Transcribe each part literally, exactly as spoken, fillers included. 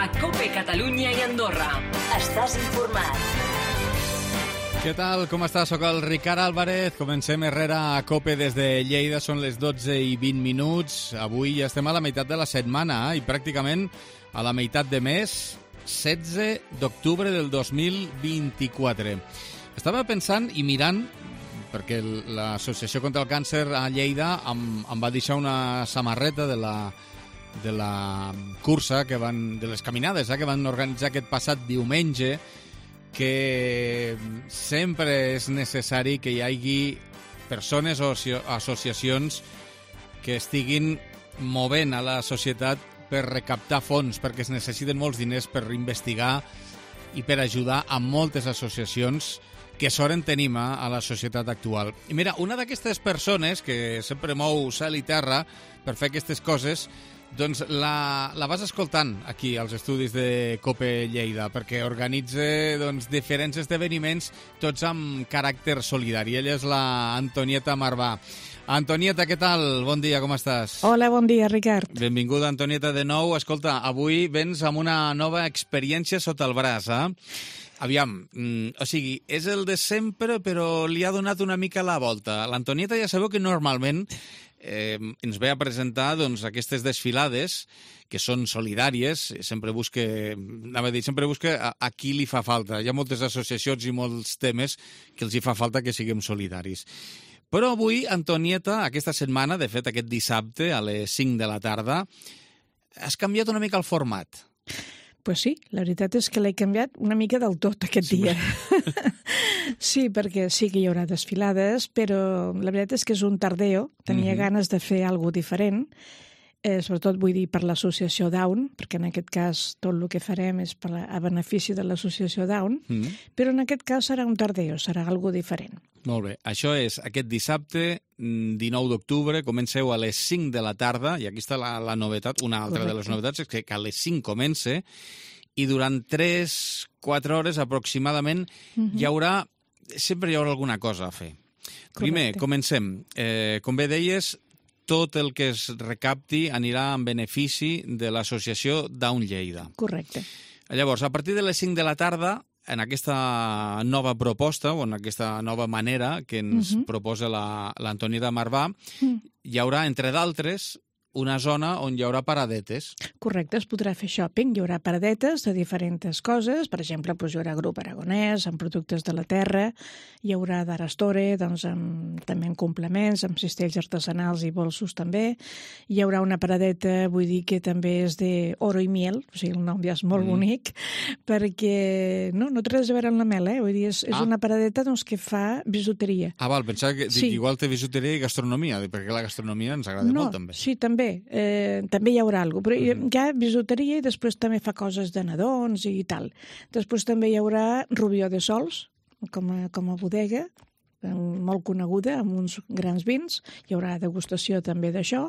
a COPE Catalunya i Andorra. Estàs informat. Què tal? Com estàs? Soc el Ricard Álvarez. Comencem Herrera a COPE des de Lleida. Són les dotze i vint minuts. Avui ja estem a la meitat de la setmana eh? i pràcticament a la meitat de mes, setze d'octubre del dos mil vint-i-quatre. Estava pensant i mirant, perquè l'Associació contra el Càncer a Lleida em, em va deixar una samarreta de la, de la cursa, que van, de les caminades eh, que van organitzar aquest passat diumenge, que sempre és necessari que hi hagi persones o associacions que estiguin movent a la societat per recaptar fons, perquè es necessiten molts diners per investigar i per ajudar a moltes associacions que sort en tenim a la societat actual. I mira, una d'aquestes persones que sempre mou cel i terra per fer aquestes coses, doncs la, la vas escoltant aquí als estudis de COPE Lleida, perquè organitza doncs, diferents esdeveniments, tots amb caràcter solidari. Ella és la Antonieta Marvà. Antonieta, què tal? Bon dia, com estàs? Hola, bon dia, Ricard. Benvinguda, Antonieta, de nou. Escolta, avui vens amb una nova experiència sota el braç, eh? Aviam, mm, o sigui, és el de sempre, però li ha donat una mica la volta. L'Antonieta ja sabeu que normalment eh, ens ve a presentar doncs, aquestes desfilades que són solidàries, sempre busca, anava a dir, sempre busca a, a qui li fa falta. Hi ha moltes associacions i molts temes que els hi fa falta que siguem solidaris. Però avui, Antonieta, aquesta setmana, de fet aquest dissabte a les cinc de la tarda, has canviat una mica el format. Pues sí, la veritat és que l'he canviat una mica del tot aquest sí, dia. Sí, perquè sí que hi haurà desfilades, però la veritat és que és un tardeo. Tenia mm-hmm. ganes de fer alguna cosa diferent, eh, sobretot vull dir per l'associació Down, perquè en aquest cas tot el que farem és per la, a benefici de l'associació Down, mm-hmm. però en aquest cas serà un tardeo, serà alguna cosa diferent. Molt bé, això és aquest dissabte, dinou d'octubre, comenceu a les cinc de la tarda, i aquí està la, la novetat, una altra Correcte. De les novetats és que a les cinc comença, i durant tres quatre hores aproximadament uh-huh. hi haurà, sempre hi haurà alguna cosa a fer. Correcte. Primer, comencem. Eh, com bé deies, tot el que es recapti anirà en benefici de l'associació Down Lleida. Correcte. Llavors, a partir de les cinc de la tarda, en aquesta nova proposta, o en aquesta nova manera que ens uh-huh. proposa l'Antonieta Marvà, uh-huh. hi haurà, entre d'altres, una zona on hi haurà paradetes. Correcte, es podrà fer shopping. Hi haurà paradetes de diferents coses. Per exemple, doncs, hi haurà grup aragonès, amb productes de la terra, hi haurà d'Arastore, doncs, amb, també en complements, amb cistells artesanals i bolsos també. Hi haurà una paradeta, vull dir que també és d'oro i miel, o sigui, el nom ja és molt mm. bonic, perquè no, no té res a veure amb la mel, eh? Vull dir, és, és ah. una paradeta doncs, que fa bisuteria. Ah, val, pensava que sí. igual té bisuteria i gastronomia, perquè la gastronomia ens agrada no, molt, també. Sí, també. Eh, també hi haurà alguna cosa, però uh-huh. hi ha bisuteria i després també fa coses de nadons i tal. Després també hi haurà Rubió de Sols, com a, com a bodega, molt coneguda, amb uns grans vins. Hi haurà degustació també d'això.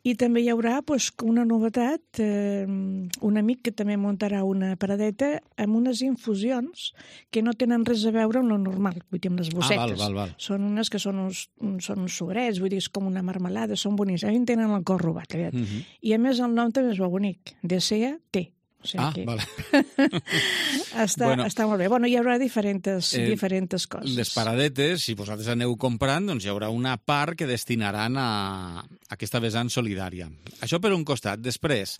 I també hi haurà doncs, una novetat, eh, un amic que també muntarà una paradeta amb unes infusions que no tenen res a veure amb lo normal, vull dir, amb les bossetes. Ah, val, val, val. Són unes que són uns, són uns sobrets, vull dir, és com una marmelada, són boníssims. A mi em tenen el cor robat, aviat. Mm-hmm. I a més el nom també és molt bonic, de S E A T. O sigui ah, que... vale. està, bueno, està molt bé. Bueno, hi haurà diferents, eh, diferents coses. Les paradetes, si vosaltres aneu comprant, doncs hi haurà una part que destinaran a, a aquesta vessant solidària. Això per un costat. Després,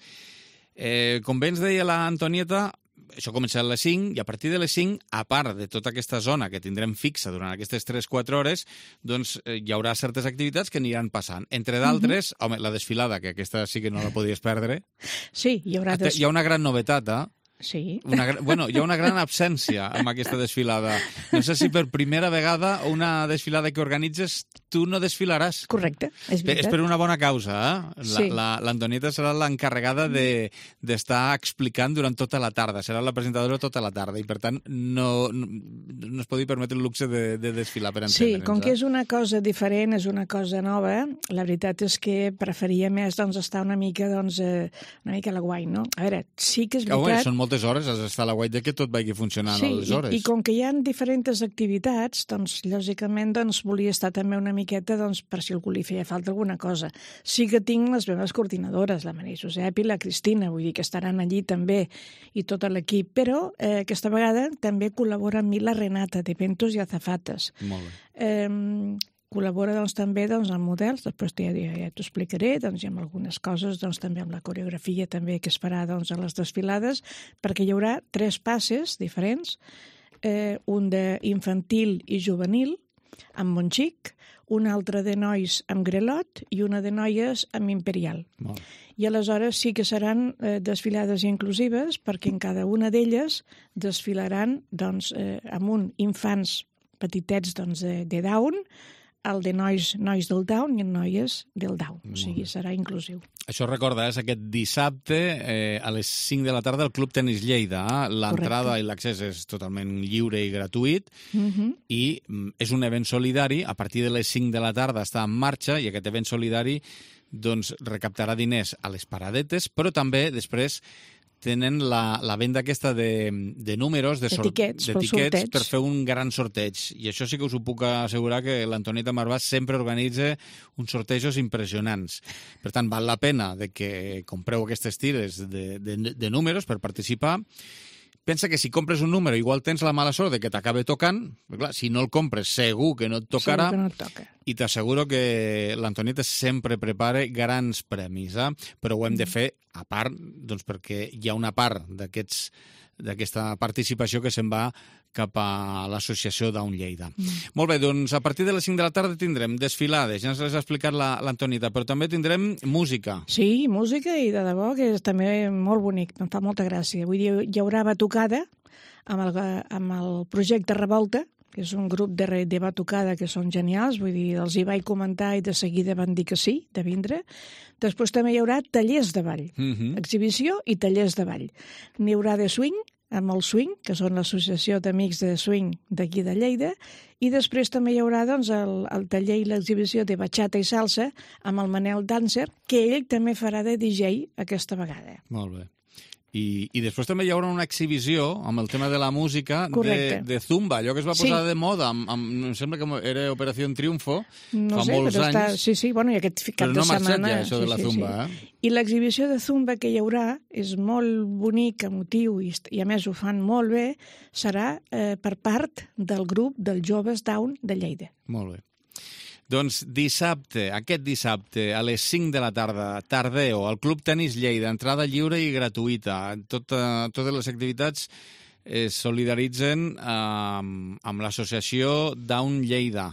eh, com bé ens deia l'Antonieta, això comença a les cinc, i a partir de les cinc, a part de tota aquesta zona que tindrem fixa durant aquestes tres quatre hores, doncs eh, hi haurà certes activitats que aniran passant. Entre d'altres, uh-huh. home, la desfilada, que aquesta sí que no la podies perdre. Sí, hi haurà... Des... Hi ha una gran novetat, eh? Sí. Una, bueno, hi ha una gran absència amb aquesta desfilada. No sé si per primera vegada una desfilada que organitzes tu no desfilaràs. Correcte, és veritat. És per una bona causa, eh? Sí. L'Antonieta serà l'encarregada de, d'estar explicant durant tota la tarda. Serà la presentadora tota la tarda i, per tant, no, no, no es podi permetre el luxe de, de desfilar per entendre'ns. Sí, com que és una cosa diferent, és una cosa nova, la veritat és que preferia més doncs, estar una mica, doncs, una mica a la guai, no? A veure, sí que és veritat... Oh, bé, són moltes moltes hores, has d'estar a la guai de que tot vagi funcionant sí, a les hores. I, i com que hi ha diferents activitats, doncs, lògicament, doncs, volia estar també una miqueta doncs, per si algú li feia falta alguna cosa. Sí que tinc les meves coordinadores, la Maria Josep i la Cristina, vull dir que estaran allí també, i tot l'equip, però eh, aquesta vegada també col·labora amb mi la Renata, de Ventos i Azafates. Molt bé. Eh, col·labora doncs, també doncs, amb models, després ja, ja, ja t'ho explicaré, doncs, i amb algunes coses, doncs, també amb la coreografia també que es farà doncs, a les desfilades, perquè hi haurà tres passes diferents, eh, un d'infantil i juvenil, amb Montxic, un altre de nois amb Grelot i una de noies amb Imperial. Molt. I aleshores sí que seran eh, desfilades inclusives, perquè en cada una d'elles desfilaran doncs, eh, amb un infants petitets doncs, de, de Down, el de nois, nois del Down i en noies del Down. O sigui, serà inclusiu. Això recorda, és aquest dissabte eh, a les cinc de la tarda al Club Tenis Lleida. Eh? L'entrada i l'accés és totalment lliure i gratuït Uh-huh. i mm, és un event solidari. A partir de les cinc de la tarda està en marxa i aquest event solidari doncs, recaptarà diners a les paradetes, però també després tenen la, la venda aquesta de, de números, de sort- Etiquets, pel d'etiquets sorteig. per fer un gran sorteig. I això sí que us ho puc assegurar que l'Antonieta Marvàs sempre organitza uns sortejos impressionants. Per tant, val la pena de que compreu aquestes tires de, de, de números per participar. Pensa que si compres un número igual tens la mala sort de que t'acabe tocant, però clar, si no el compres segur que no et tocarà. Segur que no et toca. I t'asseguro que l'Antonieta sempre prepara grans premis, eh? Però ho hem de fer a part, doncs perquè hi ha una part d'aquests d'aquesta participació que se'n va cap a l'associació Down Lleida. Mm. Molt bé, doncs a partir de les cinc de la tarda tindrem desfilades, ja ens les ha explicat la, l'Antonieta, però també tindrem música. Sí, música i de debò que és també molt bonic, em fa molta gràcia. Vull dir, hi haurà batucada amb el, amb el projecte Revolta, que és un grup de, de batucada que són genials, vull dir, els hi vaig comentar i de seguida van dir que sí, de vindre. Després també hi haurà tallers de ball, Mm-hmm. exhibició i tallers de ball. N'hi haurà de swing, amb el swing, que són l'associació d'amics de swing d'aquí de Lleida, i després també hi haurà doncs, el, el taller i l'exhibició de bachata i salsa amb el Manel Dancer, que ell també farà de D J aquesta vegada. Molt bé. I, I després també hi haurà una exhibició amb el tema de la música de, de Zumba, allò que es va posar Sí. de moda, amb, amb, em sembla que era Operació Triunfo, No fa sé, molts però anys. està... Sí, sí, bueno, i aquest cap Però no de ha marxat setmana... ja, això de la sí, sí, Zumba, sí. eh? I l'exhibició de Zumba que hi haurà és molt bonic, emotiu, i, i a més ho fan molt bé, serà eh, per part del grup dels joves Down de Lleida. Molt bé. Doncs dissabte, aquest dissabte, a les cinc de la tarda, Tardeo, al Club Tenis Lleida, entrada lliure i gratuïta. Tot, uh, totes les activitats es solidaritzen uh, amb l'associació Down Lleida.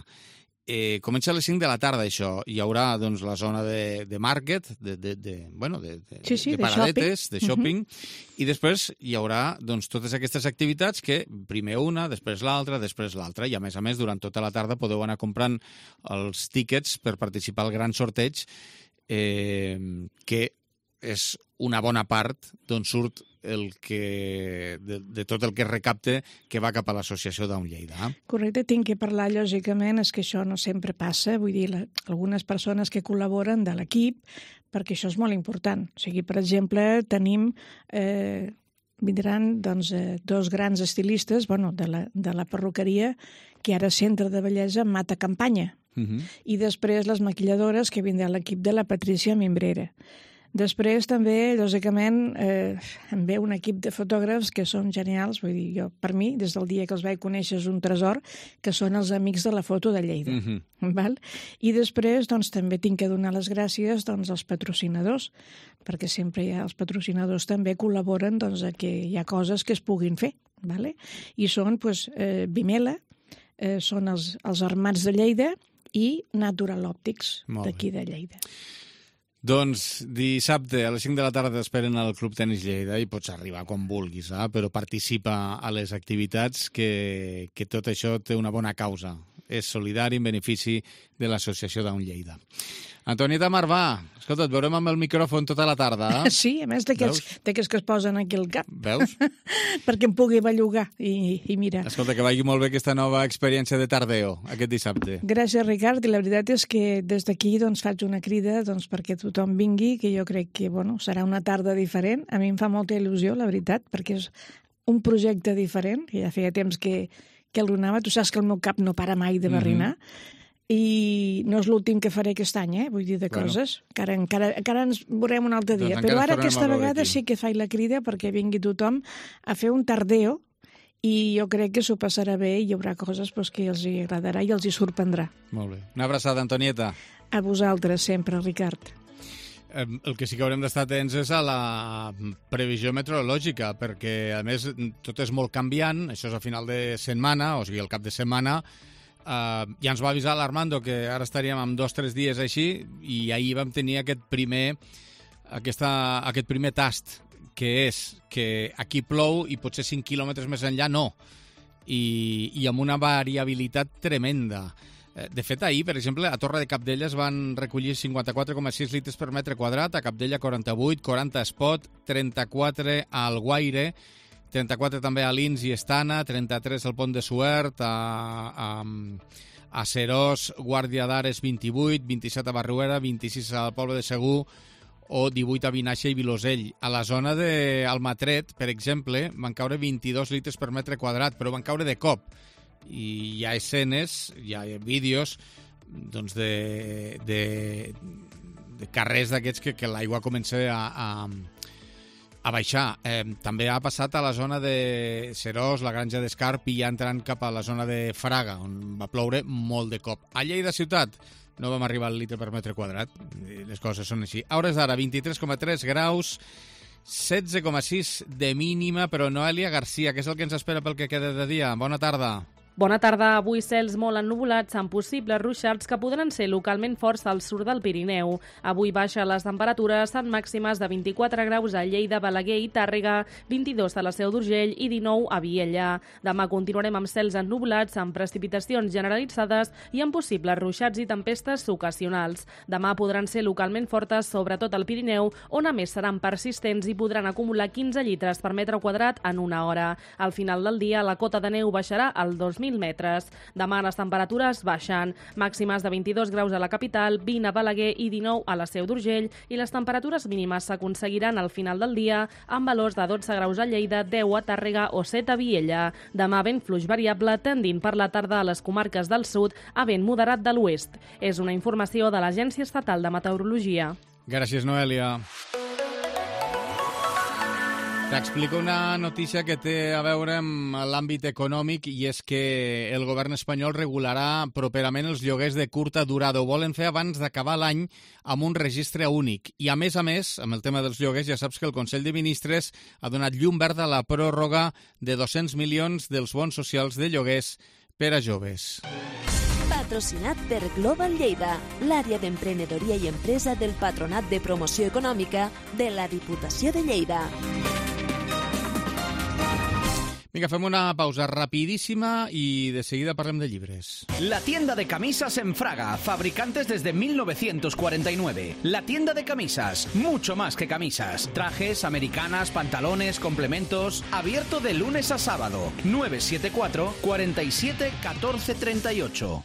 Eh, comença a les cinc de la tarda, això. Hi haurà doncs, la zona de, de market, de, de, de, bueno, de, de, Sí, sí, de de paradetes, shopping. de shopping, uh-huh. I després hi haurà doncs, totes aquestes activitats que primer una, després l'altra, després l'altra, i a més a més durant tota la tarda podeu anar comprant els tíquets per participar al gran sorteig, eh, que és una bona part d'on surt el que, de, de tot el que es recapte que va cap a l'associació Down Lleida. Eh? Correcte, tinc que parlar, lògicament, és que això no sempre passa, vull dir, la, algunes persones que col·laboren de l'equip, perquè això és molt important. O sigui, per exemple, tenim... Eh, vindran doncs, eh, dos grans estilistes bueno, de, la, de la perruqueria, que ara centre de bellesa Mata Campanya. Uh-huh. I després les maquilladores, que vindrà l'equip de la Patricia Mimbrera. Després també, lògicament, eh, em ve un equip de fotògrafs que són genials, vull dir, jo, per mi, des del dia que els vaig conèixer és un tresor, que són els amics de la foto de Lleida. Uh-huh. Val? I després, doncs, també tinc que donar les gràcies doncs, als patrocinadors, perquè sempre hi ha, els patrocinadors també col·laboren doncs, a que hi ha coses que es puguin fer. Vale? I són, doncs, eh, Vimela, eh, són els, els Armats de Lleida i Natural Optics, d'aquí de Lleida. Doncs dissabte a les cinc de la tarda t'esperen al Club Tenis Lleida i pots arribar quan vulguis, eh? Però participa a les activitats, que, que tot això té una bona causa. és solidari en benefici de l'Associació Down Lleida. Antonieta Marvà, escolta, et veurem amb el micròfon tota la tarda. Eh? Sí, a més d'aquests que es posen aquí al cap. Veus? Perquè em pugui bellugar i, i mira. Escolta, que vagi molt bé aquesta nova experiència de tardeo aquest dissabte. Gràcies, Ricard, i la veritat és que des d'aquí doncs, faig una crida doncs, perquè tothom vingui, que jo crec que bueno, serà una tarda diferent. A mi em fa molta il·lusió, la veritat, perquè és un projecte diferent, que ja feia temps que, que el donava. Tu saps que el meu cap no para mai de barrinar, mm-hmm. i no és l'últim que faré aquest any, eh? Vull dir, de bueno. coses. Encara, encara, encara ens veurem un altre dia. Doncs però ara aquesta vegada sí que faig la crida perquè vingui tothom a fer un tardeo i jo crec que s'ho passarà bé i hi haurà coses pues, que els hi agradarà i els hi sorprendrà. Molt bé. Una abraçada, Antonieta. A vosaltres sempre, Ricard. El que sí que haurem d'estar atents és a la previsió meteorològica, perquè, a més, tot és molt canviant. Això és a final de setmana, o sigui, al cap de setmana. Uh, ja ens va avisar l'Armando que ara estaríem amb dos o tres dies així i ahir vam tenir aquest primer, aquesta, aquest primer tast, que és que aquí plou i potser cinc quilòmetres més enllà no, i, i amb una variabilitat tremenda. De fet, ahir, per exemple, a Torre de Cabdella es van recollir cinquanta-quatre coma sis litres per metre quadrat, a Cabdella quaranta-vuit, quaranta a Espot, trenta-quatre a Alguaire, trenta-quatre també a Lins i Estana, trenta-tres al Pont de Suert, a, a, a Serós, Guàrdia d'Ares vint-i-vuit, vint-i-set a Barruera, vint-i-sis al Poble de Segur o divuit a Vinaixa i Vilosell. A la zona d'Almatret, per exemple, van caure vint-i-dos litres per metre quadrat, però van caure de cop. I hi ha escenes, hi ha vídeos doncs de, de, de carrers d'aquests que, que l'aigua comença a... a a baixar. Eh, també ha passat a la zona de Serós, la Granja d'Escarp i ja entrant cap a la zona de Fraga, on va ploure molt de cop. A Lleida ciutat no vam arribar al litre per metre quadrat. Les coses són així. A hores d'ara, vint-i-tres coma tres graus, setze coma sis de mínima, però Noelia Garcia, què és el que ens espera pel que queda de dia? Bona tarda. Bona tarda. Avui cels molt ennuvolats amb possibles ruixats que podran ser localment forts al sud del Pirineu. Avui baixa les temperatures en màximes de vint-i-quatre graus a Lleida, Balaguer i Tàrrega, vint-i-dos a la Seu d'Urgell i dinou a Vielha. Demà continuarem amb cels ennuvolats, amb precipitacions generalitzades i amb possibles ruixats i tempestes ocasionals. Demà podran ser localment fortes, sobretot al Pirineu, on a més seran persistents i podran acumular quinze litres per metre quadrat en una hora. Al final del dia, la cota de neu baixarà al dos mil metres. Demà les temperatures baixen. Màximes de vint-i-dos graus a la capital, vint a Balaguer i dinou a la Seu d'Urgell i les temperatures mínimes s'aconseguiran al final del dia amb valors de dotze graus a Lleida, deu a Tàrrega o set a Vielha. Demà vent fluix variable tendint per la tarda a les comarques del sud a vent moderat de l'oest. És una informació de l'Agència Estatal de Meteorologia. Gràcies, Noelia. T'explico una notícia que té a veure amb l'àmbit econòmic i és que el govern espanyol regularà properament els lloguers de curta durada. Ho volen fer abans d'acabar l'any amb un registre únic. I a més a més, amb el tema dels lloguers, ja saps que el Consell de Ministres ha donat llum verda a la pròrroga de dos-cents milions dels bons socials de lloguers per a joves. Patrocinat per Global Lleida, l'àrea d'emprenedoria i empresa del Patronat de Promoció Econòmica de la Diputació de Lleida. Vinga, fem una pausa rapidísima y de seguida parlem de llibres. La tienda de camisas en Fraga, fabricantes desde mil novecientos cuarenta y nueve. La tienda de camisas, mucho más que camisas. Trajes, americanas, pantalones, complementos. Abierto de lunes a sábado. nueve siete cuatro, cuatro siete, uno cuatro tres ocho.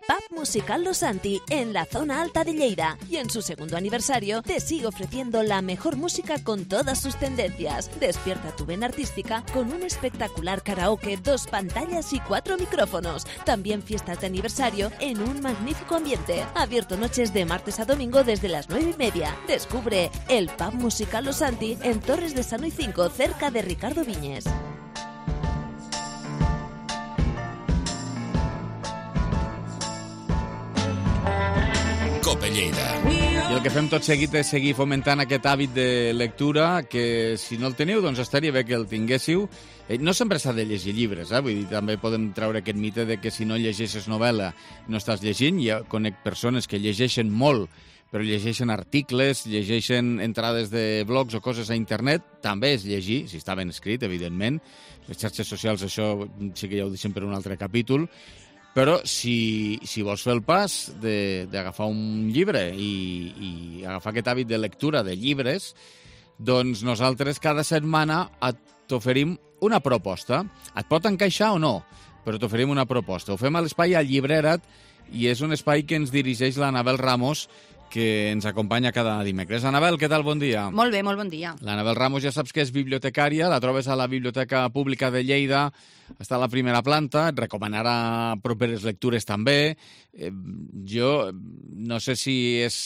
Pub Musical Los Santi, en la zona alta de Lleida. Y en su segundo aniversario te sigue ofreciendo la mejor música con todas sus tendencias. Despierta tu vena artística con un espectacular karaoke, dos pantallas y cuatro micrófonos. También fiestas de aniversario en un magnífico ambiente. Abierto noches de martes a domingo desde las nueve y media. Descubre el Pub Musical Los Santi en Torres de Sanoy cinco, cerca de Ricardo Viñes. Cope Lleida. I el que fem tot seguit és seguir fomentant aquest hàbit de lectura, que si no el teniu, doncs estaria bé que el tinguéssiu. Eh, no sempre s'ha de llegir llibres, eh? Vull dir, també podem treure aquest mite de que si no llegeixes novel·la no estàs llegint. Ja conec persones que llegeixen molt, però llegeixen articles, llegeixen entrades de blogs o coses a internet. També és llegir, si està ben escrit, evidentment. Les xarxes socials, això sí que ja ho deixem per un altre capítol. Però si, si vols fer el pas d'agafar un llibre i, i agafar aquest hàbit de lectura de llibres, doncs nosaltres cada setmana t'oferim una proposta. Et pot encaixar o no, però t'oferim una proposta. Ho fem a l'espai a Llibrera't i és un espai que ens dirigeix l'Anabel Ramos, que ens acompanya cada dimecres. Anabel, què tal? Bon dia. Molt bé, molt bon dia. L'Anabel Ramos ja saps que és bibliotecària, la trobes a la Biblioteca Pública de Lleida, està a la primera planta, et recomanarà properes lectures també. Eh, jo no sé si és...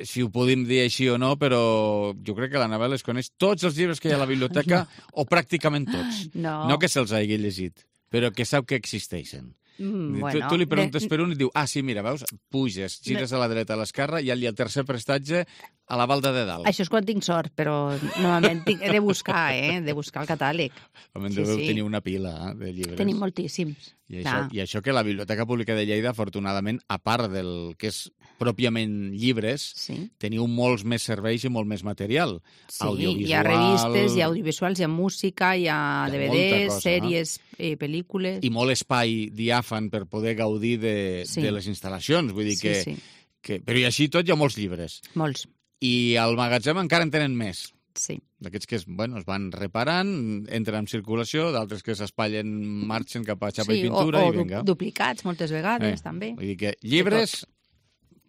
si ho podem dir així o no, però jo crec que l'Anabel es coneix tots els llibres que hi ha a la biblioteca, no. o pràcticament tots. No. No que se'ls hagi llegit, però que sap que existeixen. Mm, tu, bueno, tu li preguntes de... per un i diu, ah, sí, mira, veus, puges, gires a la dreta, a l'esquerra, i al tercer prestatge a la balda de dalt. Això és quan tinc sort, però normalment tinc, he de buscar, eh? He de buscar el catàleg. Home, Sí, deveu sí. tenir una pila eh, de llibres. Tenim moltíssims. I això, I això que la Biblioteca Pública de Lleida, afortunadament, a part del que és pròpiament llibres, Sí. teniu molts més serveis i molt més material. Sí, Audiovisual... hi ha revistes, hi ha audiovisuals, hi ha música, hi ha Hi ha D V molta Ds, cosa, sèries, eh, pel·lícules... I molt espai diàfan per poder gaudir de, Sí. de les instal·lacions. Vull dir Sí, que, sí. que... Però i així tot hi ha molts llibres. Molts, I al magatzem encara en tenen més. sí. D'aquests que es, bueno, es van reparant, entren en circulació, d'altres que s'espatllen, marxen cap a xapa sí, i pintura o, o i vinga. du duplicats moltes vegades, Eh, també. Vull dir que llibres,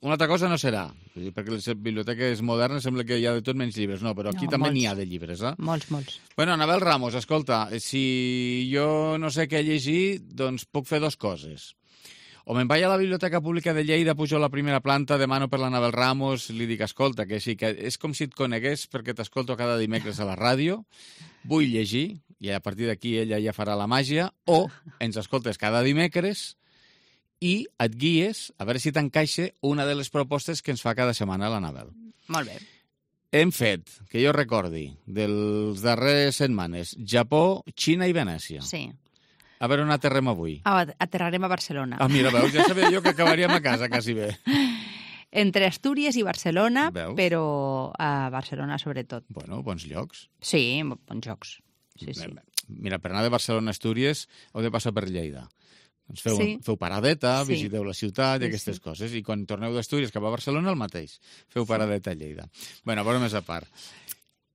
una altra cosa no serà, vull dir, perquè les biblioteques modernes sembla que hi ha de tot menys llibres. No, però aquí No, també molts. n'hi ha de llibres, eh? Molts, molts. Bueno, Anabel Ramos, escolta, si jo no sé què llegir, doncs puc fer dues coses. O me'n vaig a la Biblioteca Pública de Lleida, pujo a la primera planta, demano per l'Anabel Ramos, li dic, escolta, que sí, que és com si et conegués perquè t'escolto cada dimecres a la ràdio, vull llegir, i a partir d'aquí ella ja farà la màgia, o ens escoltes cada dimecres i et guies a veure si t'encaixa una de les propostes que ens fa cada setmana l'Anabel. Molt bé. Hem fet, que jo recordi, dels darreres setmanes, Japó, Xina i Venècia. Sí. A veure on aterrem avui. Ah, aterrarem a Barcelona. Ah, mira, veus, ja sabia jo que acabaríem a casa, quasi bé. Entre Astúries i Barcelona, Veus? però a Barcelona sobretot. Bueno, bons llocs. Sí, bons jocs. Sí, sí. Mira, per anar de Barcelona a Astúries heu de passar per Lleida. Doncs feu, Sí. feu paradeta, Sí. visiteu la ciutat i Sí, aquestes sí. coses. I quan torneu d'Astúries cap a Barcelona, el mateix. Feu paradeta a Lleida. Bueno, però més a part.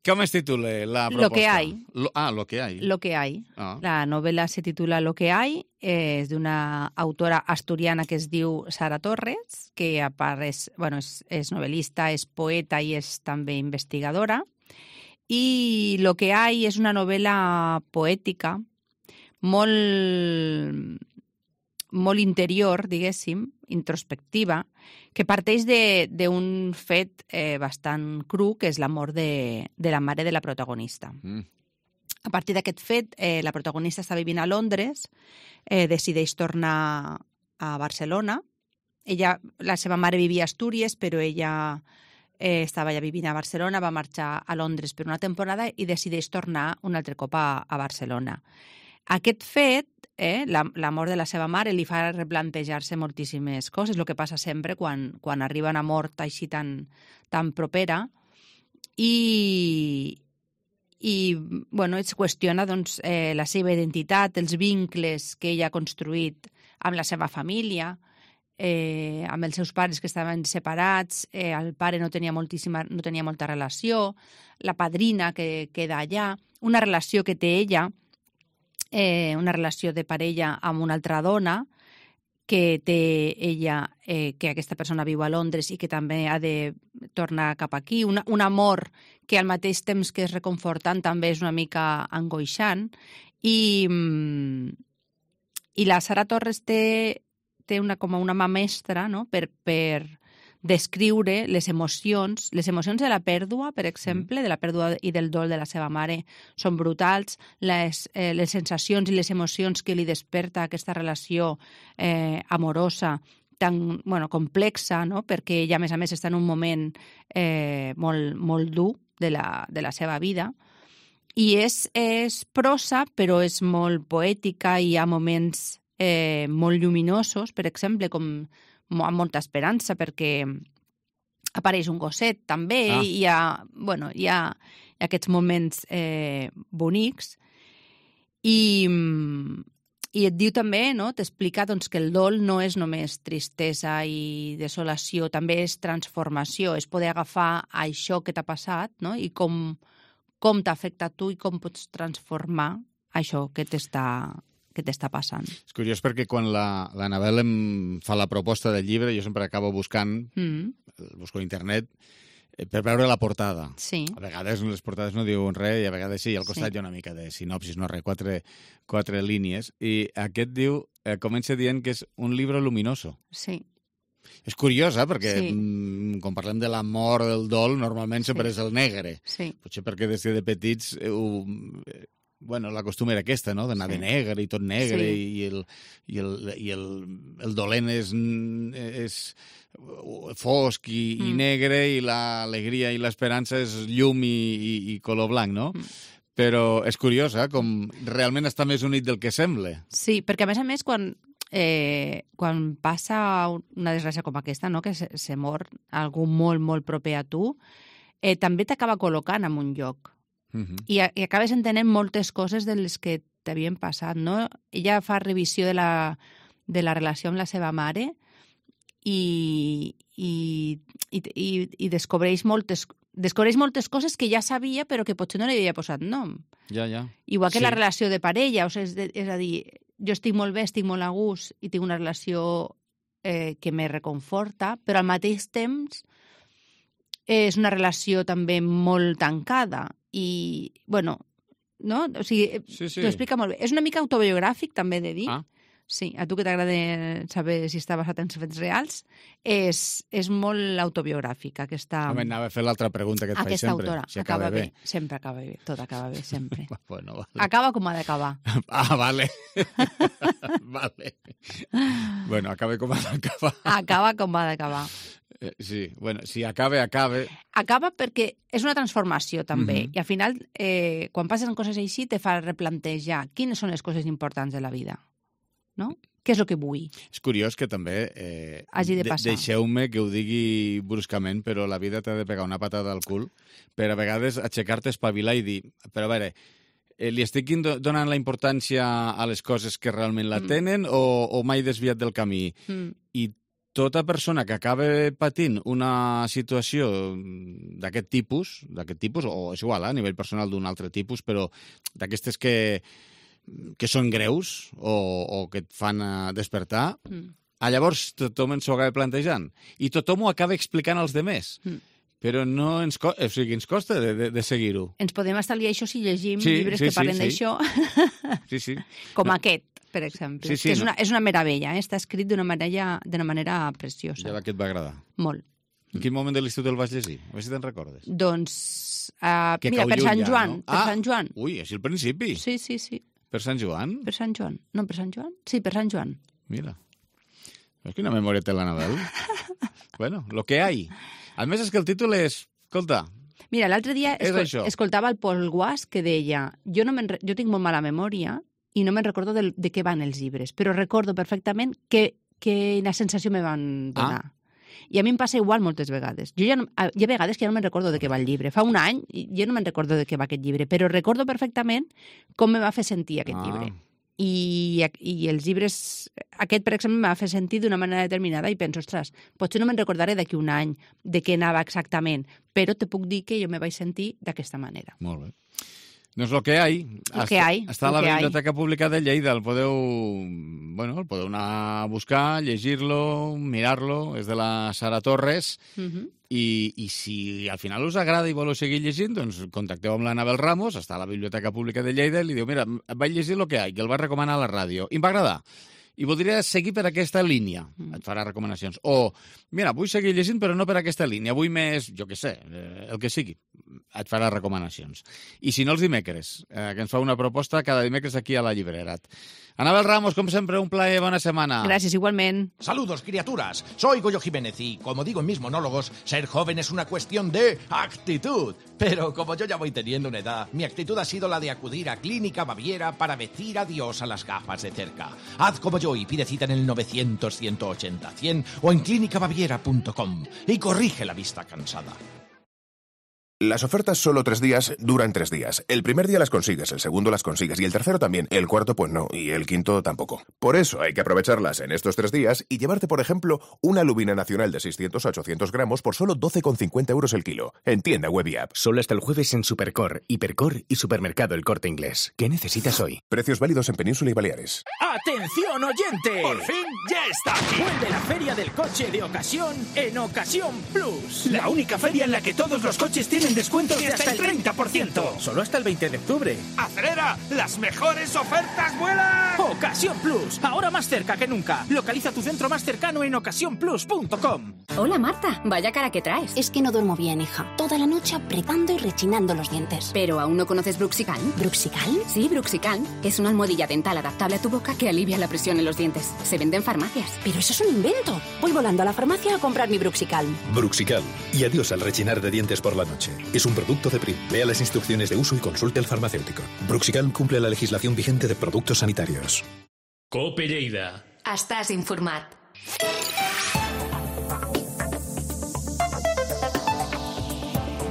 Com es titula la proposta? Lo que hay. Lo, ah, Lo que hay. Lo que hay. Ah. La novela se titula Lo que hay, és d'una autora asturiana que es diu Sara Torres, que a part és, bueno, és, és novel·lista, és poeta i és també investigadora. I Lo que hay és una novel·la poètica molt, molt interior, diguéssim, introspectiva, que parteix d'un fet eh, bastant cru, que és la mort de, de la mare de la protagonista. Mm. A partir d'aquest fet, eh, la protagonista està vivint a Londres, eh, decideix tornar a Barcelona. Ella, la seva mare vivia a Astúries, però ella eh, estava ja vivint a Barcelona, va marxar a Londres per una temporada i decideix tornar un altre cop a, a Barcelona. Aquest fet, eh, la, la mort de la seva mare, li fa replantejar-se moltíssimes coses, el que passa sempre quan, quan arriba una mort així tan, tan propera, i, i bueno, es qüestiona doncs, eh, la seva identitat, els vincles que ella ha construït amb la seva família, eh, amb els seus pares que estaven separats, eh, el pare no tenia, moltíssima, no tenia molta relació, la padrina que queda allà, una relació que té ella, eh, una relació de parella amb una altra dona, que té ella, eh, que aquesta persona viu a Londres i que també ha de tornar cap aquí, una, un amor que al mateix temps que és reconfortant també és una mica angoixant, i, i la Sara Torres té, té una, com una mà mestra, no?, per, per descriure les emocions, les emocions de la pèrdua, per exemple, de la pèrdua i del dol de la seva mare, són brutals, les, eh, les sensacions i les emocions que li desperta aquesta relació eh, amorosa, tan bueno, complexa, no?, perquè ella, a més a més, està en un moment eh, molt, molt dur de la, de la seva vida. I és, és prosa, però és molt poètica, i hi ha moments eh, molt lluminosos, per exemple, com amb molta esperança, perquè apareix un gosset també, ah. i hi ha, bueno, hi ha, hi ha aquests moments eh, bonics, i, I et diu també, no? T'explica doncs, que el dol no és només tristesa i desolació, també és transformació, és poder agafar això que t'ha passat, no? I com, com t'ha afectat tu i com pots transformar això que t'està que t'està passant. És curiós perquè quan la, l'Anabel em fa la proposta del llibre, jo sempre acabo buscant, mm. busco a internet, per veure la portada. Sí. A vegades les portades no diuen res i a vegades sí, al costat sí. Hi ha una mica de sinopsis, no res, quatre, quatre línies. I aquest diu, eh, comença dient que és un llibre luminoso. Sí. És curiós, eh? Perquè sí. mm, quan parlem de la mort, del dol, normalment sí. sempre és el negre. Sí. Potser perquè des de petits... Eh, ho, eh, bueno, la costum era aquesta, no?, d'anar sí. de negre i tot negre sí. i, el, i, el, i el, el dolent és, és fosc i, mm. i negre i l'alegria i l'esperança és llum i, i, i color blanc, no? Mm. Però és curiós, eh?, com realment està més unit del que sembla. Sí, perquè a més a més, quan, eh, quan passa una desgràcia com aquesta, no?, que se, se mor algú molt, molt proper a tu, eh, també t'acaba col·locant en un lloc. Uh-huh. I, I acabes entenent moltes coses de les que t'havien passat, no? Ella fa revisió de la, de la relació amb la seva mare i, i, i, i, i descobreix moltes descobreix moltes coses que ja sabia però que potser no li havia posat nom. Ja, ja. Igual que sí. la relació de parella, o sigui, és, de, és a dir, jo estic molt bé, estic molt a gust i tinc una relació eh, que me reconforta, però al mateix temps és una relació també molt tancada. I, bueno, no? O sigui, sí, sí. T'ho explica molt bé. És una mica autobiogràfic, també he de dir. Ah. Sí, a tu que t'agrada saber si està basat en fets reals, és, és molt autobiogràfic, aquesta... No m'anava a fer l'altra pregunta que et faig sempre. Autora. Si acaba, acaba bé. bé. Sempre acaba bé, tot acaba bé, sempre. Bueno, vale. Acaba com ha d'acabar. Ah, vale. Vale. Bueno, acaba com ha d'acabar. Acaba com ha d'acabar. Sí, bueno, si acabe, acabe... Acaba perquè és una transformació, també. Mm-hmm. I al final, eh, quan passen coses així, te fa replantejar quines són les coses importants de la vida. No? Què és el que vull? És curiós que també... Eh, Hagi de passar. De deixeu-me que ho digui bruscament, però la vida t'ha de pegar una patada al cul per a vegades aixecar-te, espavilar i dir... Però a veure, eh, li estic donant la importància a les coses que realment la tenen mm. o, o m'he desviat del camí? Mm. I tota persona que acaba patint una situació d'aquest tipus, d'aquest tipus, o és igual, eh, a nivell personal d'un altre tipus, però d'aquestes que, que són greus o, o que et fan despertar, mm. llavors tothom ens ho acaba plantejant. I tothom ho acaba explicant als demés. Mm. Però no ens, co o sigui, ens costa de, de, de seguir-ho. Ens podem estalviar això si llegim sí, llibres sí, que parlen sí, d'això. Sí, sí. Com no. aquest, per exemple. Sí, sí, que és, no. una, és una meravella, eh? Està escrit d'una manera, d'una manera preciosa. Ja que et va agradar. Molt. En quin moment de l'estiu el vas llegir? A veure si te'n recordes. Doncs, uh, mira, per Sant Joan. Ja, no? Per ah, Sant Joan. Ui, és el principi. Sí, sí, sí. Per Sant Joan? Per Sant Joan. No, per Sant Joan? Sí, per Sant Joan. Mira. Veus quina memòria té l'Anabel? Bueno, lo que hay. A més, és que el títol és... Escolta... Mira, l'altre dia escol escoltava el Pol Guas que deia jo, no jo tinc molt mala memòria i no me'n recordo de, de què van els llibres, però recordo perfectament que, quina sensació me van donar. Ah. I a mi em passa igual moltes vegades. Jo ja no, hi ha vegades que ja no me'n recordo de què va el llibre. Fa un any jo no me'n recordo de què va aquest llibre, però recordo perfectament com me va fer sentir aquest ah. llibre. I, i els llibres... Aquest, per exemple, m'ha fet sentir d'una manera determinada i penso, ostres, potser no me'n recordaré d'aquí un any de què anava exactament, però te puc dir que jo me vaig sentir d'aquesta manera. Molt bé. Doncs lo que hay. Lo que hay. Està a la Biblioteca hay. Pública de Lleida. El podeu, bueno, el podeu anar a buscar, llegir-lo, mirar-lo. És de la Sara Torres. Uh-huh. I, I si al final us agrada i voleu seguir llegint, doncs contacteu amb l'Anabel Ramos, està a la Biblioteca Pública de Lleida, i li diu, mira, vaig llegir lo que hay, que el va recomanar a la ràdio. I em va agradar. I voldria seguir per aquesta línia. Et farà recomanacions. O, mira, vull seguir llegint, però no per aquesta línia. Vull més, jo què sé, el que sigui. Et farà recomanacions. I si no, els dimecres, eh, que ens fa una proposta cada dimecres aquí a la llibrera. Anabel Ramos, como siempre, un placer, buena semana. Gracias, igualmente. Saludos, criaturas. Soy Goyo Jiménez y, como digo en mis monólogos, ser joven es una cuestión de actitud. Pero como yo ya voy teniendo una edad, mi actitud ha sido la de acudir a Clínica Baviera para decir adiós a las gafas de cerca. Haz como yo y pide cita en el novecientos, ciento ochenta, cien o en clínica baviera punto com y corrige la vista cansada. Las ofertas solo tres días duran tres días. El primer día las consigues, el segundo las consigues y el tercero también. El cuarto pues no y el quinto tampoco. Por eso hay que aprovecharlas en estos tres días y llevarte, por ejemplo, una lubina nacional de seiscientos a ochocientos gramos por solo doce con cincuenta euros el kilo. En tienda web y app. Solo hasta el jueves en Supercor, Hipercor y Supermercado El Corte Inglés. ¿Qué necesitas hoy? Precios válidos en Península y Baleares. ¡Atención, oyente! ¡Por fin ya está aquí! Vuelve la Feria del Coche de Ocasión en Ocasión Plus. La única feria en la que todos los coches tienen descuentos de hasta el treinta por ciento. Solo hasta el veinte de octubre. ¡Acelera! ¡Las mejores ofertas vuelan! Ocasión Plus, ahora más cerca que nunca. Localiza tu centro más cercano en ocasión plus punto com. Hola Marta, vaya cara que traes. Es que no duermo bien, hija. Toda la noche apretando y rechinando los dientes. ¿Pero aún no conoces Bruxical? ¿Bruxical? Sí, Bruxical. Es una almohadilla dental adaptable a tu boca que alivia la presión en los dientes. Se vende en farmacias. Pero eso es un invento. Voy volando a la farmacia a comprar mi Bruxical. Bruxical. Y adiós al rechinar de dientes por la noche. Es un producto de Prim. Lea las instrucciones de uso y consulte al farmacéutico. Bruxical cumple la legislación vigente de productos sanitarios. Cope Lleida. Estàs informat.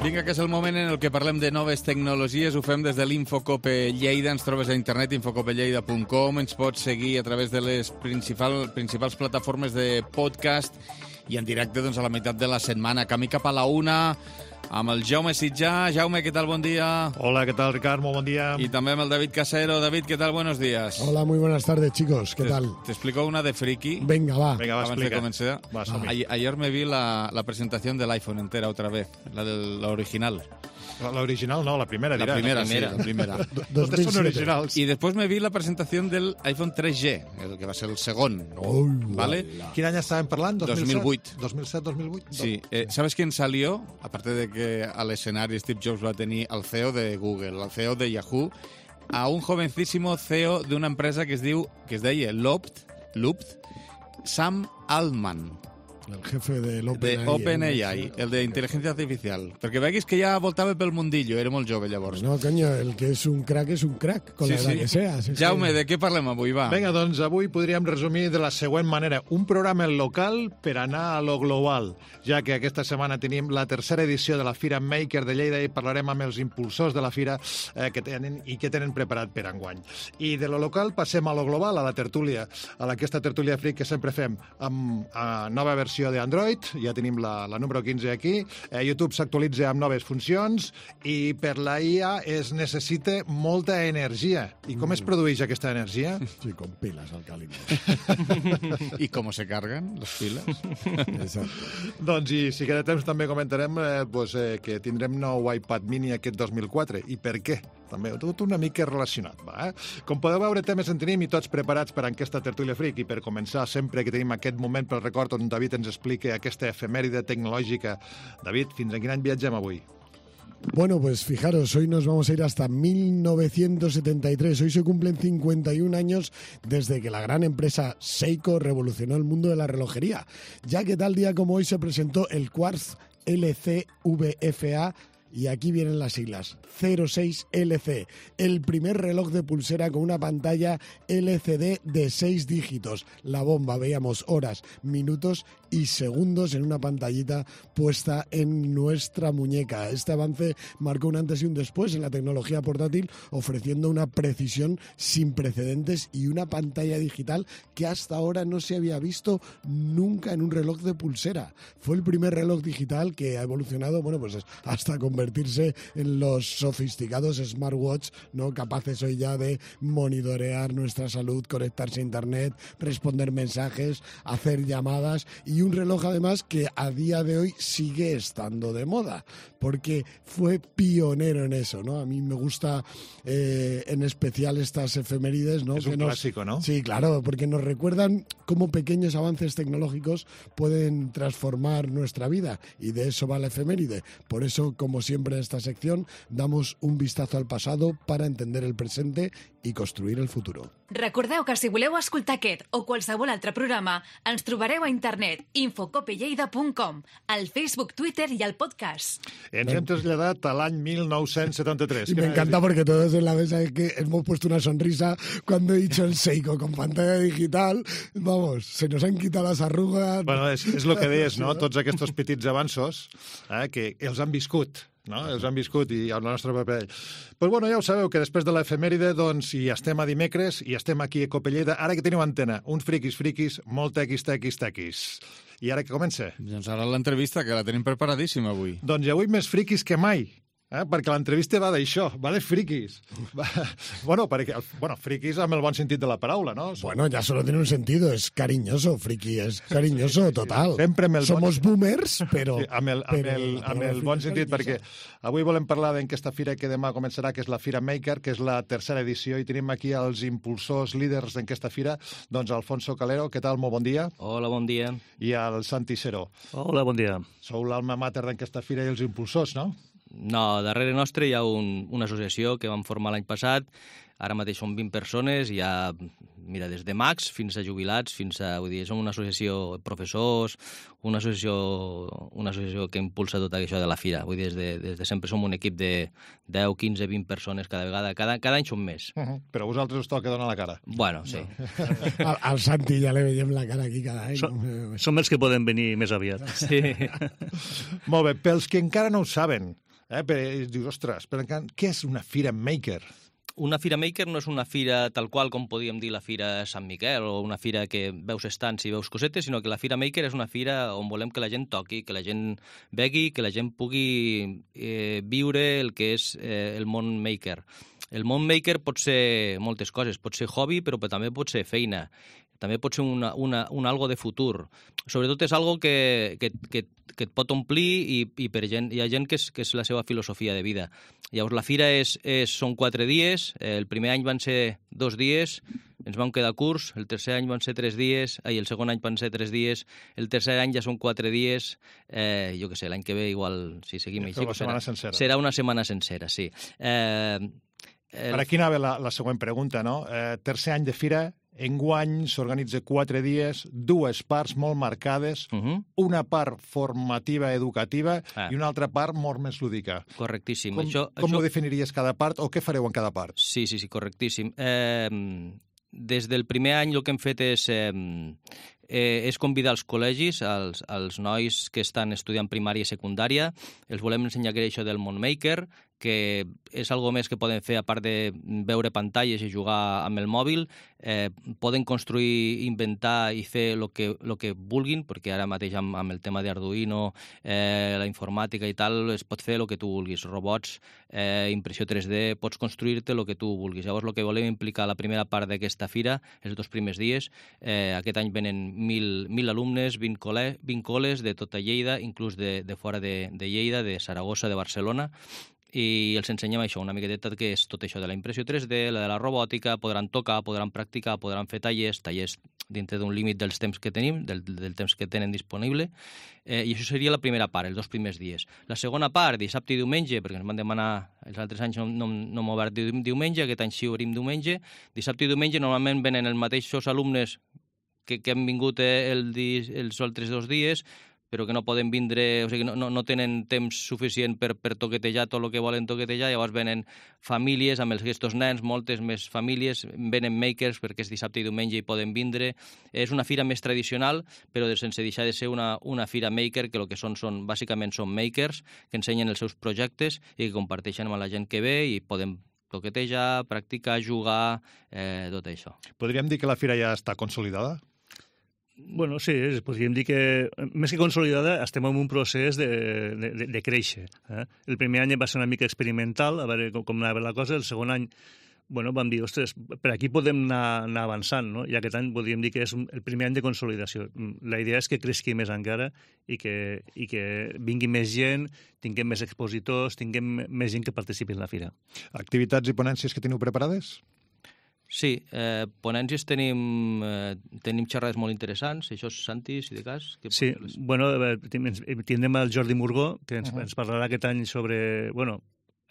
Vinga, que és el moment en el que parlem de noves tecnologies. Ho fem des de l'Infocope Lleida. Ens trobes a internet, infocopelleida punt com. Ens pots seguir a través de les principal, principals plataformes de podcast i en directe doncs, a la meitat de la setmana. Camí cap a la una amb el Jaume Sitjà. Jaume, què tal? Bon dia. Hola, ¿qué tal, Ricard? Muy buen día. Y también el David Casero. David, ¿qué tal? Buenos días. Hola, muy buenas tardes, chicos. ¿Qué te, tal? Te explico una de friki. Venga, va. Venga, va, explica. Comencé. Va, ah. ayer, ayer me vi la, la presentación del iPhone entera otra vez, la, del, la original. La, la original no, la primera, dirás. La primera, la primera, sí, la primera. Totes son originals. Y después me vi la presentación del iPhone tres G, el que va ser el segon. Oh, ¿vale? ¿Quin any estàvem parlant? dos mil vuit. dos mil set, dos mil vuit? Sí. Eh, ¿Sabes quién salió? Aparte de que al escenario Steve Jobs va a tenir al C E O de Google, al C E O de Yahoo, a un jovencísimo C E O de una empresa que es diu, que es deia Loopt, Loopt, Sam Altman. El jefe de l'OpenAI. De OpenAI, el de inteligencia artificial. Perquè veguis que ja voltava pel mundillo, era molt jove llavors. No, coño, el que és un crack és un crack, con sí, la edad sí. que sea. Sí, Jaume, sí. de què parlem avui, va? Vinga, doncs avui podríem resumir de la següent manera. Un programa local per anar a lo global, ja que aquesta setmana tenim la tercera edició de la Fira Maker de Lleida i parlarem amb els impulsors de la Fira eh, que tenen i que tenen preparat per enguany. I de lo local passem a lo global, a la tertúlia, a aquesta tertúlia freak que sempre fem amb a nova versió d'Android. Ja tenim la, la número quinze aquí. Eh, YouTube s'actualitza amb noves funcions i per la I A es necessita molta energia. I com mm. es produeix aquesta energia? Sí, con pilas alcalines. I com se carguen les piles? Exacte. Doncs i si queda temps també comentarem eh, pues, eh, que tindrem nou iPad mini aquest dos mil quatre. I per què? També tot una mica relacionat, va, eh? Com podeu veure, temes en tenim i tots preparats per a aquesta tertúlia freak. I per començar, sempre que tenim aquest moment pel record on David ens explica aquesta efemèride tecnològica. David, fins a quin any viatgem avui? Bueno, pues fijaros, hoy nos vamos a ir hasta mil novecientos setenta y tres. Hoy se cumplen cincuenta y un años desde que la gran empresa Seiko revolucionó el mundo de la relojería, ya que tal día como hoy se presentó el Quartz L C V F A. Y aquí vienen las siglas, cero seis L C, el primer reloj de pulsera con una pantalla L C D de seis dígitos. La bomba, veíamos horas, minutos y segundos en una pantallita puesta en nuestra muñeca. Este avance marcó un antes y un después en la tecnología portátil, ofreciendo una precisión sin precedentes y una pantalla digital que hasta ahora no se había visto nunca en un reloj de pulsera. Fue el primer reloj digital que ha evolucionado, bueno, pues hasta convertirse convertirse en los sofisticados smartwatch, ¿no? Capaces hoy ya de monitorear nuestra salud, conectarse a internet, responder mensajes, hacer llamadas, y un reloj además que a día de hoy sigue estando de moda, porque fue pionero en eso, ¿no? A mí me gusta eh, en especial estas efemérides, ¿no? Es un que nos... clásico, ¿no? Sí, claro, porque nos recuerdan cómo pequeños avances tecnológicos pueden transformar nuestra vida, y de eso va la efeméride. Por eso, como siempre en esta sección, damos un vistazo al pasado para entender el presente y construir el futuro. Recordeu que si voleu escoltar aquest o qualsevol altre programa, ens trobareu a internet infocopelleida punt com, al Facebook, Twitter y al podcast. Ens hem traslladat a l'any mil nou-cents setanta-tres. Y me encanta porque todos en la mesa es que hemos puesto una sonrisa cuando he dicho el Seiko con pantalla digital. Vamos, se nos han quitado las arrugas. Bueno, és, és el que deies, no? Tots aquests petits avanços eh, que els han viscut. No? Els han viscut i el nostre paper. Però bueno, ja ho sabeu, que després de l'efemèride doncs hi estem a dimecres i estem aquí a Copelleda. Ara que teniu antena, uns friquis friquis, molt tequis, tequis, tequis. I ara que comença? Doncs ara l'entrevista, que la tenim preparadíssima avui. Doncs avui més friquis que mai. Eh? Perquè l'entrevista va d'això, va de friquis. Va... Bueno, perquè, bueno, friquis amb el bon sentit de la paraula, no? Bueno, ya solo tiene un sentido, es cariñoso, friki, es cariñoso total. Sempre amb el Somos bon... boomers, però... Sí, amb el, amb però, el, amb el bon sentit, perquè avui volem parlar d'aquesta fira que demà començarà, que és la Fira Maker, que és la tercera edició, i tenim aquí els impulsors líders d'aquesta fira, doncs Alfonso Calero, què tal? Molt bon dia. Hola, bon dia. I el Santi Seró. Hola, bon dia. Sou l'alma mater d'aquesta fira i els impulsors, no? No, darrere nostre hi ha un, una associació que vam formar l'any passat. Ara mateix són vint persones, hi ha, mira, des de mags fins a jubilats, fins a, vull dir, som una associació de professors, una associació, una associació que impulsa tot això de la fira. Vull dir, des de, des de sempre som un equip de deu, quinze, vint persones cada vegada, cada, cada any som més. Uh -huh. Però a vosaltres us toca donar la cara. Bueno, sí. No. Al, al Santi ja le veiem la cara aquí cada any. Som, som els que poden venir més aviat. Sí. Molt bé, pels que encara no ho saben, eh, però, dius, ostres, però encara, què és una Fira Maker? Una Fira Maker no és una fira tal qual com podíem dir la Fira Sant Miquel o una fira que veus estants i veus cosetes, sinó que la Fira Maker és una fira on volem que la gent toqui, que la gent begui, que la gent pugui eh, viure el que és eh, el món maker. El món maker pot ser moltes coses, pot ser hobby, però també pot ser feina. També pot ser una, una, un algo de futur. Sobretot és algo que, que, que, que et pot omplir i, i per gent, hi ha gent que és, que és la seva filosofia de vida. Llavors, la fira és, és, són quatre dies, el primer any van ser dos dies, ens vam quedar curts, el tercer any van ser tres dies, ai, el segon any van ser tres dies, el tercer any ja són quatre dies, eh, jo què sé, l'any que ve igual, si seguim així, una setmana sencera. Serà una setmana sencera, sí. Eh, el... Per aquí anava la, la següent pregunta, no? Eh, tercer any de fira, enguany s'organitza quatre dies, dues parts molt marcades, uh -huh. una part formativa, educativa ah. i una altra part molt més lúdica. Correctíssim. Com, això, com això... ho definiries cada part o què fareu en cada part? Sí, sí, sí, correctíssim. Eh, des del primer any el que hem fet és... Eh, eh, és convidar els col·legis, als, als nois que estan estudiant primària i secundària, els volem ensenyar això del món maker, que és algo més que poden fer, a part de veure pantalles i jugar amb el mòbil, eh, poden construir, inventar i fer el que, lo que vulguin, perquè ara mateix amb, amb el tema d'Arduino, eh, la informàtica i tal, es pot fer el que tu vulguis. Robots, eh, impressió tres D, pots construir-te el que tu vulguis. Llavors, el que volem implicar la primera part d'aquesta fira, els dos primers dies, eh, aquest any venen mil, mil alumnes, vint, col·le, vint col·les de tota Lleida, inclús de, de fora de, de Lleida, de Saragossa, de Barcelona, i els ensenyem això, una miqueta que és tot això de la impressió tres D, la de la robòtica, podran tocar, podran practicar, podran fer tallers, tallers dintre d'un límit dels temps que tenim, del, del temps que tenen disponible, eh, i això seria la primera part, els dos primers dies. La segona part, dissabte i diumenge, perquè ens van demanar, els altres anys no, no, no hem obert diumenge, aquest any sí obrim diumenge, dissabte i diumenge normalment venen els mateixos alumnes que, que han vingut el, els altres dos dies, però que no poden vindre, o sigui, no, no, no tenen temps suficient per, per toquetejar tot el que volen toquetejar, llavors venen famílies amb els, aquests nens, moltes més famílies, venen makers perquè és dissabte i diumenge i poden vindre. És una fira més tradicional, però sense deixar de ser una, una fira maker, que el que són, són bàsicament són makers, que ensenyen els seus projectes i que comparteixen amb la gent que ve i poden toquetejar, practicar, jugar, eh, tot això. Podríem dir que la fira ja està consolidada? Bueno, sí, podríem dir que, més que consolidada, estem en un procés de, de, de créixer. Eh? El primer any va ser una mica experimental, a veure com, com anava la cosa. El segon any, bueno, vam dir, ostres, per aquí podem anar, anar avançant, no? I aquest any podríem dir que és el primer any de consolidació. La idea és que creixi més encara i que, i que vingui més gent, tinguem més expositors, tinguem més gent que participi en la fira. Activitats i ponències que teniu preparades? Sí, eh, ponències tenim, eh, tenim xerrades molt interessants, això és Santi, si de cas. Que sí, les... bueno, tindrem el Jordi Murgó, que ens, uh -huh. ens parlarà aquest any sobre, bueno,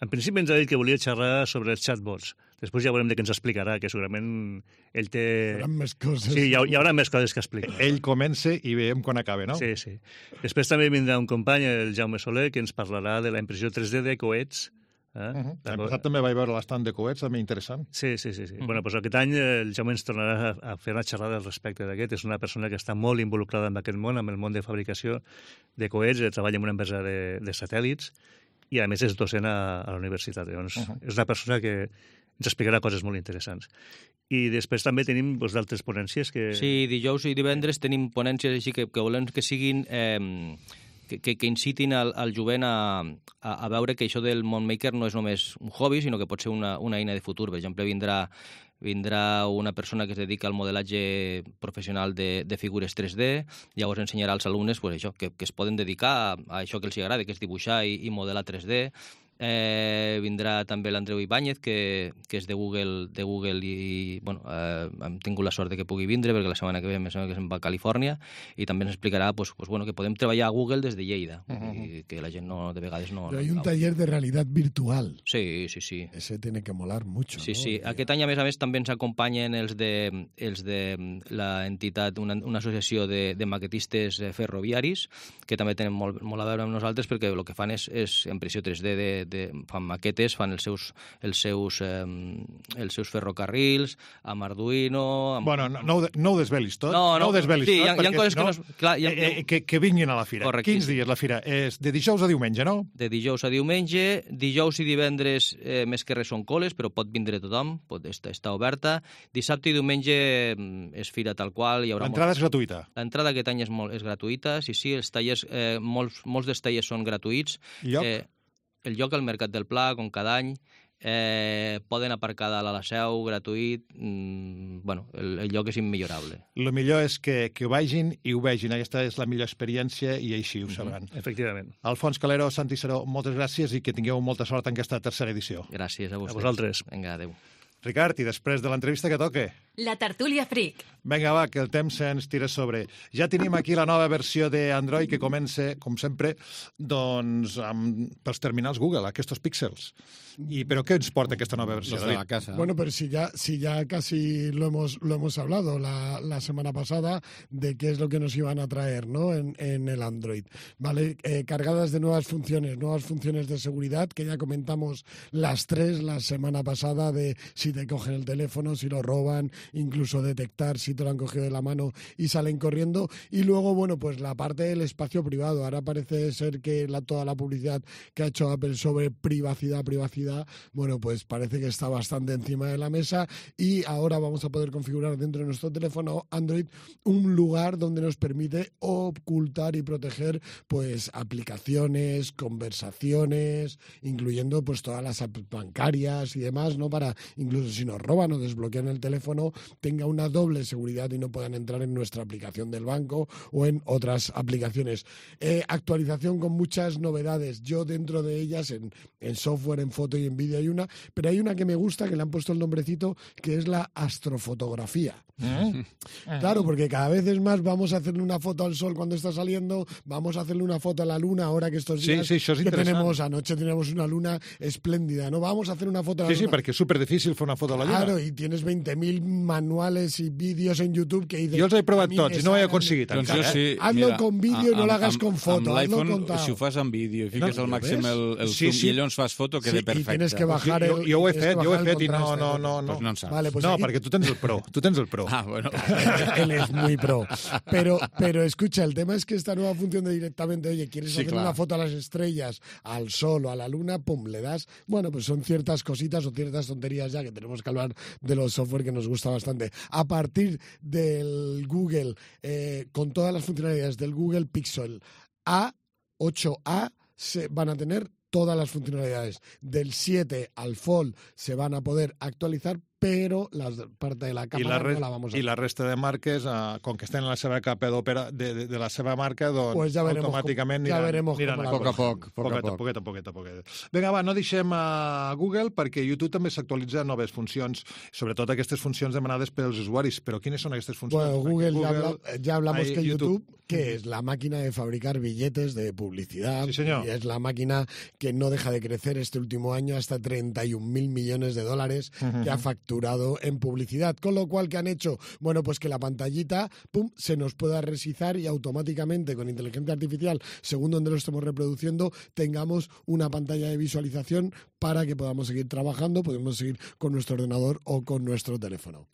En principi ens ha dit que volia xerrar sobre els chatbots. Després ja veurem de què ens explicarà, que segurament ell té... Seran més coses. Sí, hi, ha, hi haurà més coses que explicar. Ell comença i veiem quan acaba, no? Sí, sí. Després també vindrà un company, el Jaume Soler, que ens parlarà de la impressió tres D de coets. Eh? Uh -huh. L'any passat també vaig veure l'estant de coets, també interessant. Sí, sí, sí. sí. Uh -huh. Bueno, doncs aquest any el Jaume ens tornarà a fer una xerrada al respecte d'aquest. És una persona que està molt involucrada en aquest món, amb el món de fabricació de coets, treballa en una empresa de, de satèl·lits, i a més és docent a, a la universitat. Llavors, uh -huh. és una persona que ens explicarà coses molt interessants. I després també tenim doncs, d'altres ponències que... Sí, dijous i divendres tenim ponències així que, que volem que siguin... Eh, que, que, que incitin al, al jovent a, a, a veure que això del món maker no és només un hobby, sinó que pot ser una, una eina de futur. Per exemple, vindrà vindrà una persona que es dedica al modelatge professional de, de figures tres D, llavors ensenyarà als alumnes pues, això, que, que es poden dedicar a, a això que els agrada, que és dibuixar i, i modelar tres D. Eh, vindrà també l'Andreu Ibáñez, que, que és de Google, de Google i, bueno, eh, hem tingut la sort de que pugui vindre, perquè la setmana que ve em sembla que se'n va a Califòrnia, i també ens explicarà pues, pues, bueno, que podem treballar a Google des de Lleida, uh -huh. i que la gent no, de vegades no... Pero hay no, un taller de realidad virtual. Sí, sí, sí. Ese tiene que molar mucho, Sí, ¿no? sí. Aquest any, a més a més, també ens acompanyen els de, els de l'entitat, una, una associació de, de maquetistes ferroviaris, que també tenen molt, molt a veure amb nosaltres, perquè el que fan és, és impressió tres D de, de, fan maquetes, fan els seus, els seus, eh, els seus ferrocarrils, amb Arduino... Amb... Bueno, no, no, ho, no ho desvelis tot. No, no, no ho desvelis sí, tot, hi ha, hi ha coses no, que no... Clar, hi ha... eh, que, que vinguin a la fira. Quins dies la fira? És de dijous a diumenge, no? De dijous a diumenge, dijous i divendres eh, més que res són coles, però pot vindre tothom, pot estar, estar oberta. Dissabte i diumenge és fira tal qual. L'entrada molt... és gratuïta? L'entrada aquest any és, molt, és gratuïta, sí, sí, els tallers, eh, molts, molts dels tallers són gratuïts. Lloc? Eh, el lloc al Mercat del Pla, com cada any, eh, poden aparcar dalt a la seu, gratuït, mm, bueno, el, el lloc és immillorable. El millor és que, que vagin i ho vegin, aquesta és la millor experiència i així ho sabran. Mm-hmm. Efectivament. Alfons Calero, Santi Seró, moltes gràcies i que tingueu molta sort en aquesta tercera edició. Gràcies a vosaltres. A vosaltres. Vinga, adéu. Ricard, i després de l'entrevista que toque? La tertúlia Freak. Vinga, va, que el temps se'ns tira sobre. Ja tenim aquí la nova versió d'Android que comença, com sempre, doncs, amb, pels terminals Google, aquests píxels. I, ¿Pero qué ens porta aquesta nova versió? Los de la casa. Bueno, pero si ya, si ya casi lo hemos, lo hemos hablado la, la semana pasada de qué es lo que nos iban a traer, ¿no? En, en el Android. ¿Vale? Eh, cargadas de nuevas funciones, nuevas funciones de seguridad, que ya comentamos las tres la semana pasada, de si te cogen el teléfono, si lo roban, incluso detectar si te lo han cogido de la mano y salen corriendo. Y luego, bueno, pues la parte del espacio privado. Ahora parece ser que la, toda la publicidad que ha hecho Apple sobre privacidad, privacidad, bueno, pues parece que está bastante encima de la mesa, y ahora vamos a poder configurar dentro de nuestro teléfono Android un lugar donde nos permite ocultar y proteger pues aplicaciones, conversaciones, incluyendo pues todas las apps bancarias y demás, ¿no? Para incluso si nos roban o desbloquean el teléfono, tenga una doble seguridad y no puedan entrar en nuestra aplicación del banco o en otras aplicaciones. Eh, actualización con muchas novedades. Yo dentro de ellas, en, en software, en foto y en vídeo hay una, pero hay una que me gusta, que le han puesto el nombrecito, que es la astrofotografía. ¿Eh? Claro, porque cada vez es más, vamos a hacerle una foto al sol cuando está saliendo, vamos a hacerle una foto a la luna ahora que estos días sí, sí, això és que tenemos, anoche tenemos una luna espléndida, ¿no? Vamos a hacer una foto a la sí, luna. Sí, perquè és superdifícil fer una foto a la lluna. Claro, y tienes veinte mil manuales y vídeos en YouTube que dices... Jo els he provat tots i no ho he aconseguit doncs encara. Jo sí, eh? Hazlo mira, con vídeo i no l'hagas con foto. Amb l'iPhone, si ho fas amb vídeo i fiques no, al màxim el, el sí, zoom sí. i llavors fas foto, queda sí, perfecte. I tienes que bajar el, jo, jo ho he fet, jo ho he fet i no, no, no, no. Pues no en saps. Vale, pues no, ahí... perquè tu tens el Pro, tu tens el Pro. Ah, bueno. Él es muy pro. Pero, pero escucha, el tema es que esta nueva función de directamente, oye, ¿quieres sí, hacer claro. una foto a las estrellas, al sol o a la luna? Pum, le das. Bueno, pues son ciertas cositas o ciertas tonterías ya que tenemos que hablar de los software que nos gusta bastante. A partir del Google, eh, con todas las funcionalidades del Google Pixel A, ocho A, se van a tener todas las funcionalidades. Del siete al Fold se van a poder actualizar, però la part de la càmera la no la vamos a... I la resta de marques, eh, com que estan en la seva capa d'òpera de, de, de la seva marca, doncs pues ja automàticament ja aniran, aniran a poc a poc, poc a poc. Poquet a poquet a poquet. Vinga, va, no deixem a Google, perquè YouTube també s'actualitza noves funcions, sobretot aquestes funcions demanades pels usuaris. Però quines són aquestes funcions? Bueno, Google, Google ya, habla, ya hablamos hay que YouTube, YouTube que es la máquina de fabricar billetes de publicidad. Sí, señor. Y es la máquina que no deja de crecer este último año hasta treinta y un mil millones de dólares uh-huh. que ha facturado en publicidad. Con lo cual, ¿qué han hecho? Bueno, pues que la pantallita, pum, se nos pueda resizar y automáticamente con inteligencia artificial, según donde lo estemos reproduciendo, tengamos una pantalla de visualización para que podamos seguir trabajando, podemos seguir con nuestro ordenador o con nuestro teléfono.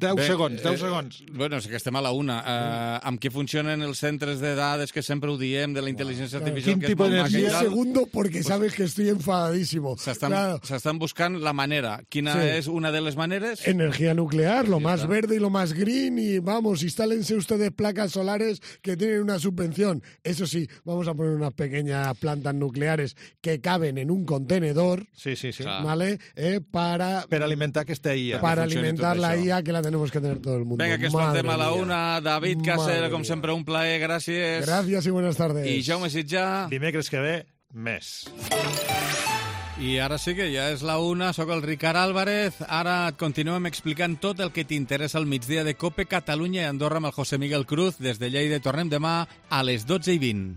deu segons, deu segons. Eh, bueno, és que estem a la una. Eh, amb què funcionen els centres de dades que sempre ho diem, de la intel·ligència artificial? ¿Qué tipo de energía? Un segundo, porque pues, sabes que estoy enfadadísimo. S'estan claro. s'estan buscant la manera. Quina sí. és una de les maneres? Energía nuclear, lo sí, más está. verde y lo más green, y vamos, instálense ustedes placas solares que tienen una subvención. Eso sí, vamos a poner unas pequeñas plantas nucleares que caben en un contenedor. Sí, sí, sí. ¿Vale? Eh, para, per alimentar aquesta I A. Para alimentar la I A, que la tenemos que tener todo el mundo. Venga, que escoltem a la una. David Casser, com sempre, un plaer, gràcies. Gràcies i buenas tardes. I Jaume Sitjà. Dimecres que ve, més. I ara sí que ja és la una, sóc el Ricard Álvarez. Ara et continuem explicant tot el que t'interessa al migdia de COPE Catalunya i Andorra amb el José Miguel Cruz. Des de Lleida tornem demà a les dotze i vint.